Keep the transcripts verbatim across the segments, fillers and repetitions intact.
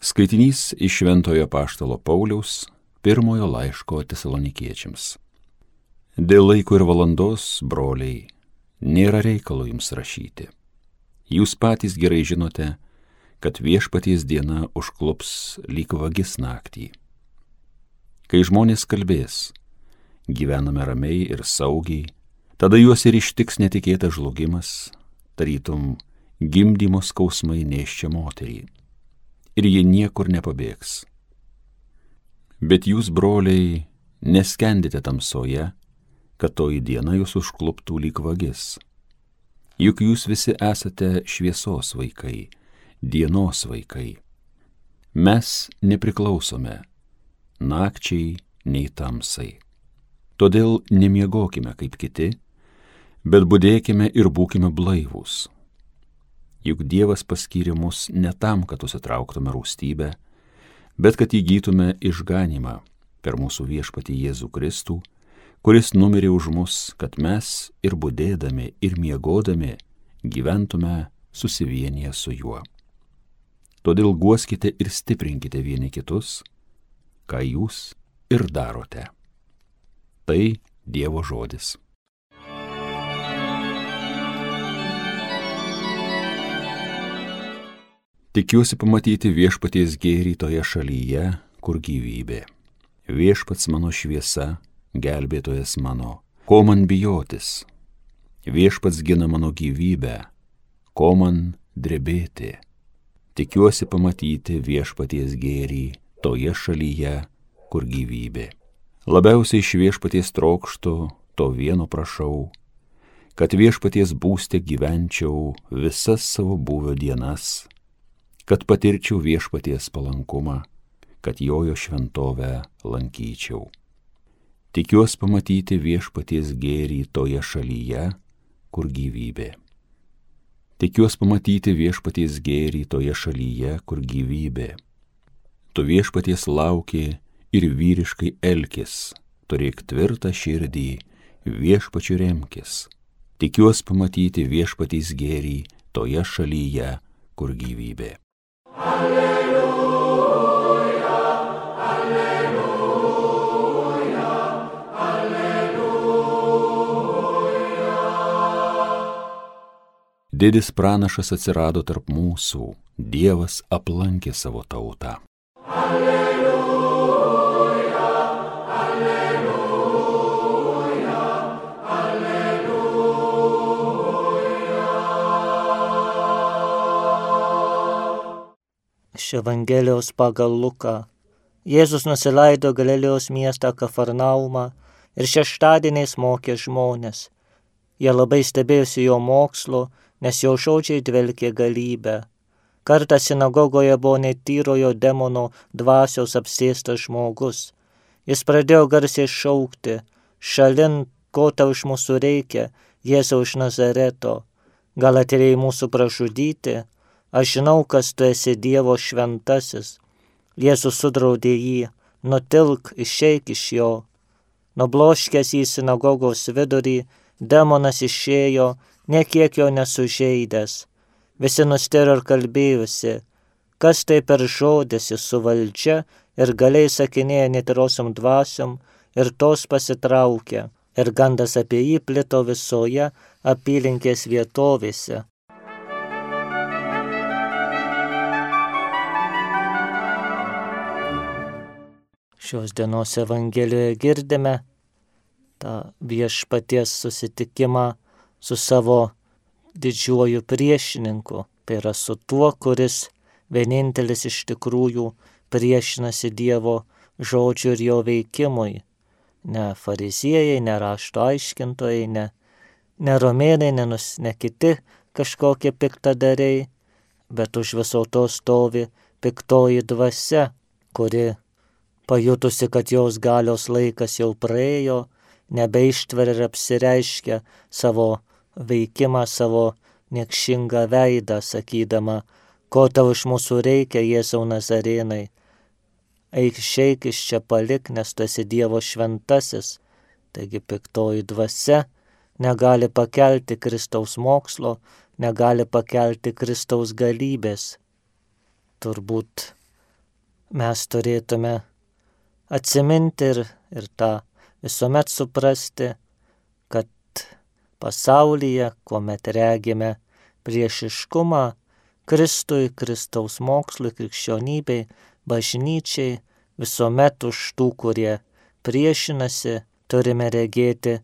Skaitinys iš Šventojo Apaštalo Pauliaus pirmojo laiško Tesalonikiečiams. Dėl laiko ir valandos, broliai, nėra reikalo jums rašyti. Jūs patys gerai žinote, kad viešpaties diena užklups lyg vagis naktį. Kai žmonės kalbės, gyvename ramiai ir saugiai, tada juos ir ištiks netikėtas žlugimas, tarytum gimdymo skausmai nėščią moterį. Ir jie niekur nepabėgs. Bet jūs, broliai, neskendite tamsoje, kad toji diena jūs užkluptų lyg vagis. Juk jūs visi esate šviesos vaikai, dienos vaikai. Mes nepriklausome nakčiai nei tamsai. Todėl nemiegokime kaip kiti, bet budėkime ir būkime blaivūs. Juk Dievas paskyrė mus ne tam, kad užsitrauktume rūstybę, bet kad įgytume išganymą per mūsų viešpatį Jėzų Kristų, kuris numirė už mus, kad mes ir budėdami, ir miegodami gyventume susivienyje su juo. Todėl guoskite ir stiprinkite vieni kitus, ką jūs ir darote. Tai Dievo žodis. Tikiuosi pamatyti viešpaties gėrį toje šalyje, kur gyvybė. Viešpats mano šviesa, gelbėtojas mano, ko man bijotis? Viešpats gina mano gyvybę, ko man drebėti? Tikiuosi pamatyti viešpaties gėrį toje šalyje, kur gyvybė. Labiausiai iš viešpaties trokštu, to vieno prašau, kad viešpaties būste gyvenčiau visas savo būvio dienas, kad patirčiau viešpaties palankumą, kad jojo šventovę lankyčiau. Tikiuosi pamatyti viešpaties gėrį toje šalyje, kur gyvybė. Tikiuosi pamatyti viešpaties gėrį toje šalyje, kur gyvybė. Tu viešpaties lauki ir vyriškai elkis, turėk tvirtą širdį, viešpačiu remkis. Tikiuosi pamatyti viešpaties gėrį toje šalyje, kur gyvybė. Alleluja, alleluja, alleluja. Didis pranašas atsirado tarp mūsų, Dievas aplankė savo tautą. Alleluja, alleluja, alleluja. Iš Evangelijos pagal Luką. Jėzus nusileido Galilėjos miestą Kafarnaumą ir šeštadieniais mokė žmones. Jie labai stebėjosi jo mokslo, nes jo žodžiai dvelkė galybę. Kartą sinagogoje buvo netyrojo demono dvasios apsėstas žmogus. Jis pradėjo garsiai šaukti: šalin, ko tau iš mūsų reikia, Jėzau iš Nazareto? Gal atėjai mūsų pražudyti? Aš žinau, kas tu esi Dievo šventasis. Jėzus sudraudė jį: nutilk, išeik iš jo. Nubloškęs į sinagogos vidurį, demonas išėjo, nekiek jo nesužeidęs. Visi nustėro ir kalbėjusi: kas tai per žodis, jis su valdžia ir galiai sakinėja netyrosiom dvasiom, ir tos pasitraukia. Ir gandas apie jį plito visoje apylinkės vietovėse. Šios dienos Evangelijoje girdime tą viešpaties susitikimą su savo didžiuoju priešininku. Tai yra su tuo, kuris vienintelis iš tikrųjų priešinasi Dievo žodžiu ir jo veikimui. Ne fariziejai, ne rašto aiškintojai, ne, ne romėnai, ne, nus, ne kiti kažkokie piktadariai, bet už viso to stovi piktoji dvasia, kuri pajutusi, kad jos galios laikas jau praėjo, nebeištveria ir apsireiškia savo veikimą, savo niekšingą veidą, sakydama: ko tau iš mūsų reikia, Jėzau Nazarėnai? Eik, išeik iš čia, palik, nes tu esi Dievo šventasis. Taigi piktoji dvasia negali pakelti Kristaus mokslo, negali pakelti Kristaus galybės. Turbūt mes turėtume atsiminti ir, ir tą visuomet suprasti, kad pasaulyje, kuomet regime priešiškumą Kristui, Kristaus mokslui, krikščionybei, bažnyčiai, visuomet už tų, kurie priešinasi, turime regėti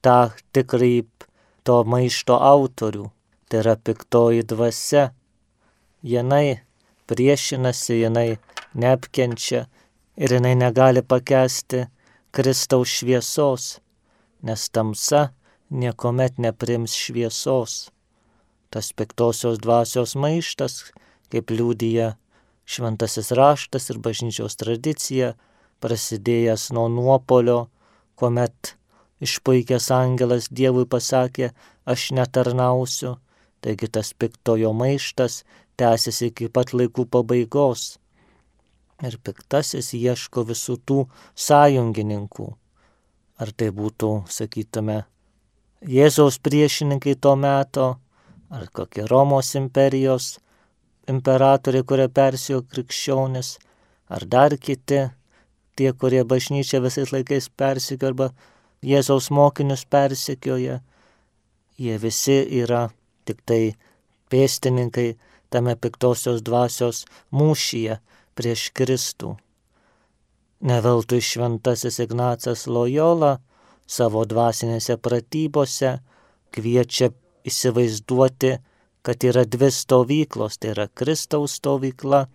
tą tikrąjį to maišto autorių, tai yra piktoji dvasia. Jinai priešinasi, jinai neapkenčia ir jinai negali pakęsti Kristaus šviesos, nes tamsa niekuomet neprims šviesos. Tas piktosios dvasios maištas, kaip liudija šventasis raštas ir bažnyčios tradicija, prasidėjęs nuo nuopolio, kuomet išpuikęs angelas Dievui pasakė, aš netarnausiu, taigi tas piktojo maištas tęsiasi iki pat laikų pabaigos. Ir piktasis ieško visų tų sąjungininkų. Ar tai būtų, sakytume, Jėzaus priešininkai to meto, ar kokie Romos imperijos imperatoriai, kurie persijo krikščionis, ar dar kiti, tie, kurie bažnyčią visais laikais persikio arba Jėzaus mokinius persikioja, jie visi yra tik tai pėstininkai tame piktosios dvasios mūšyje prieš Kristų. Ne veltui šventasis Ignacas Lojola savo dvasinėse pratybose kviečia įsivaizduoti, kad yra dvi stovyklos, tai yra Kristaus stovykla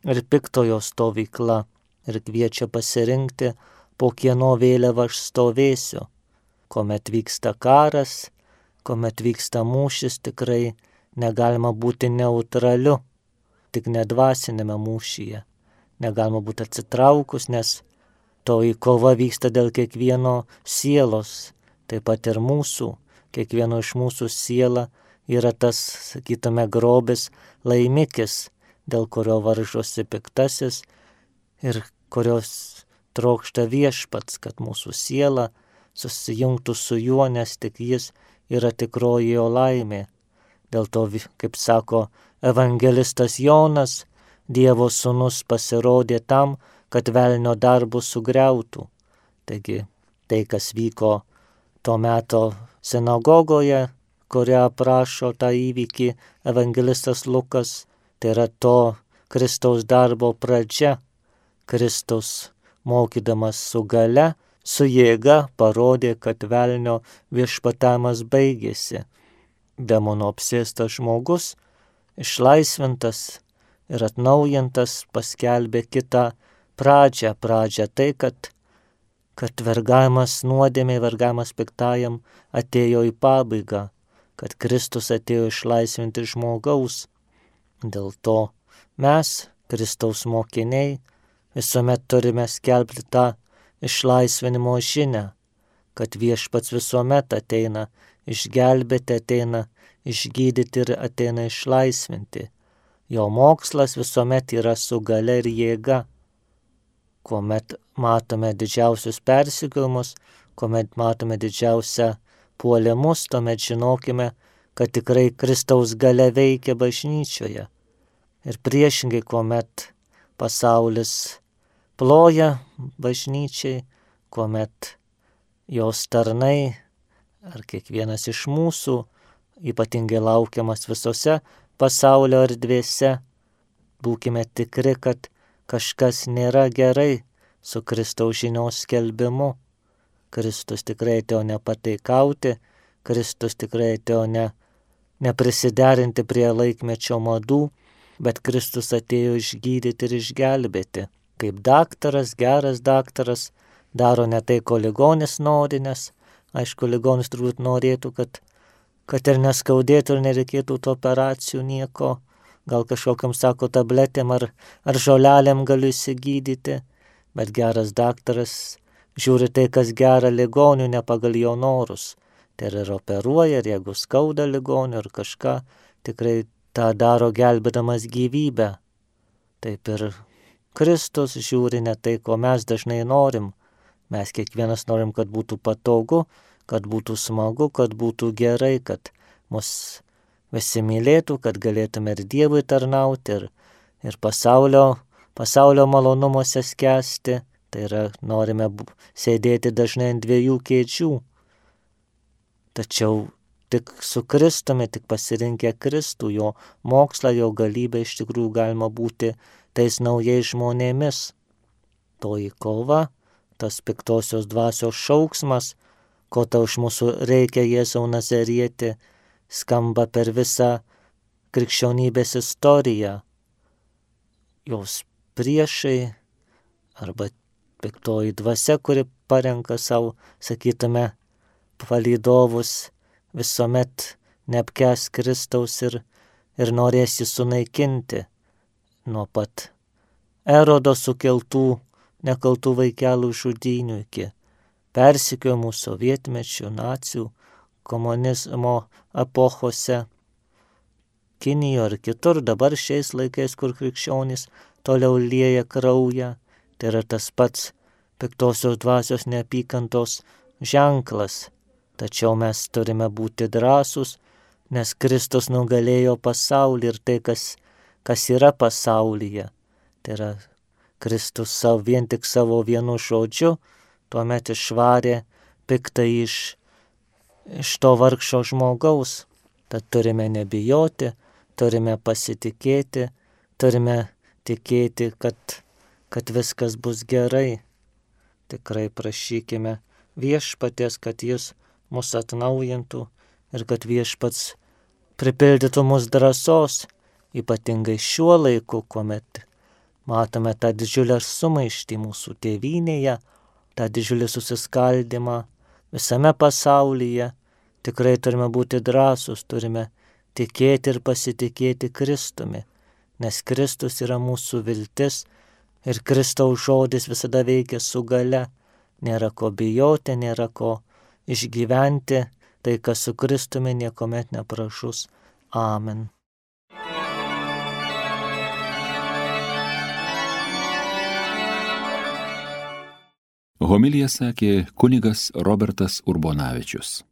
ir piktojo stovykla, ir kviečia pasirinkti, po kieno vėliavą aš stovėsiu. Kuomet vyksta karas, kuomet vyksta mūšis, tikrai negalima būti neutraliu, tik nedvasinėme mūšyje. Negalima būti atsitraukus, nes toji kova vyksta dėl kiekvieno sielos, taip pat ir mūsų. Kiekvieno iš mūsų siela yra tas, sakytume, grobis, laimikis, dėl kurio varžosi piktasis ir kurios trokšta viešpats, kad mūsų siela susijungtų su juo, nes tik jis yra tikroji jo laimė. Dėl to, kaip sako evangelistas Jonas, Dievo sūnus pasirodė tam, kad velnio darbus sugriautų. Taigi tai, kas vyko to meto sinagogoje, kurią aprašo tą įvykį evangelistas Lukas, tai yra to Kristaus darbo pradžia. Kristus, mokydamas su gale, su jėga parodė, kad velnio viešpatavimas baigėsi. Demono apsėstas žmogus, išlaisvintas ir atnaujintas, paskelbė kitą pradžią. Pradžią tai, kad, kad vergavimas nuodėmei, vergavimas piktajam atėjo į pabaigą, kad Kristus atėjo išlaisvinti žmogaus. Dėl to mes, Kristaus mokiniai, visuomet turime skelbti tą išlaisvinimo žinią, kad viešpats visuomet ateina išgelbėti, ateina išgydyti ir ateina išlaisvinti. Jo mokslas visuomet yra su galia ir jėga. Kuomet matome didžiausius persekiojimus, kuomet matome didžiausią puolimus, tuomet žinokime, kad tikrai Kristaus galia veikia bažnyčioje. Ir priešingai, kuomet pasaulis ploja bažnyčiai, kuomet jos tarnai ar kiekvienas iš mūsų ypatingai laukiamas visose pasaulio erdvėse, būkime tikri, kad kažkas nėra gerai su Kristaus žinios skelbimu. Kristus tikrai atėjo nepataikauti, Kristus tikrai atėjo ne, neprisiderinti prie laikmečio madų, bet Kristus atėjo išgydyti ir išgelbėti. Kaip daktaras, geras daktaras, daro ne tai, ko ligonis nori, nes, aišku, ligonis turbūt norėtų, kad, kad ir neskaudėtų ir nereikėtų tų operacijų nieko, gal kažkokiam, sako, tabletėm ar, ar žolelėm galiu įsigydyti, bet geras daktaras žiūri tai, kas gera ligonių, ne pagal jo norus. Tai ir operuoja, ir jeigu skauda ligonių ar kažką, tikrai tą daro gelbėdamas gyvybę. Taip ir Kristus žiūri ne tai, ko mes dažnai norim. Mes kiekvienas norim, kad būtų patogu, kad būtų smagu, kad būtų gerai, kad mus visi mylėtų, kad galėtume ir Dievui tarnauti, ir, ir pasaulio pasaulio malonumuose skęsti, tai yra norime sėdėti dažnai ant dviejų kėdžių. Tačiau tik su Kristumi, tik pasirinkę Kristų, jo mokslą, jo galybę iš tikrųjų galima būti tais naujais žmonėmis. Toji kova, tas piktosios dvasios šauksmas, ko tau iš mūsų reikia, Jėzau Nazarieti, skamba per visą krikščionybės istoriją. Jos priešai arba piktoji dvasia, kuri parenka savo, sakytume, palydovus, visuomet neapkęs Kristaus ir, ir norės jį sunaikinti nuo pat Erodo sukeltų nekaltų vaikelų žudynių iki persekiojimų sovietmečių, nacių, komunizmo epochose, Kinijoje ir kitur, dabar šiais laikais, kur krikščionys toliau lieja kraują, tai yra tas pats piktosios dvasios neapykantos ženklas. Tačiau mes turime būti drąsūs, nes Kristus nugalėjo pasaulį ir tai, kas, kas yra pasaulyje. Tai yra Kristus savo, vien tik savo vienu žodžiu, tuomet išvarė piktą iš, iš to vargšo žmogaus. Tad turime nebijoti, turime pasitikėti, turime tikėti, kad, kad viskas bus gerai. Tikrai prašykime viešpaties, kad jis mus atnaujintų ir kad viešpats pripildytų mus drąsos, ypatingai šiuo laiku, kuomet matome tą didžiulę sumaištį mūsų tėvynėje, tą didžiulį susiskaldimą visame pasaulyje. Tikrai turime būti drąsūs, turime tikėti ir pasitikėti Kristumi, nes Kristus yra mūsų viltis ir Kristaus žodis visada veikia su gale. Nėra ko bijoti, nėra ko išgyventi, tai kas su Kristumi niekuomet nepražus. Amen. Homiliją sakė kunigas Robertas Urbonavičius.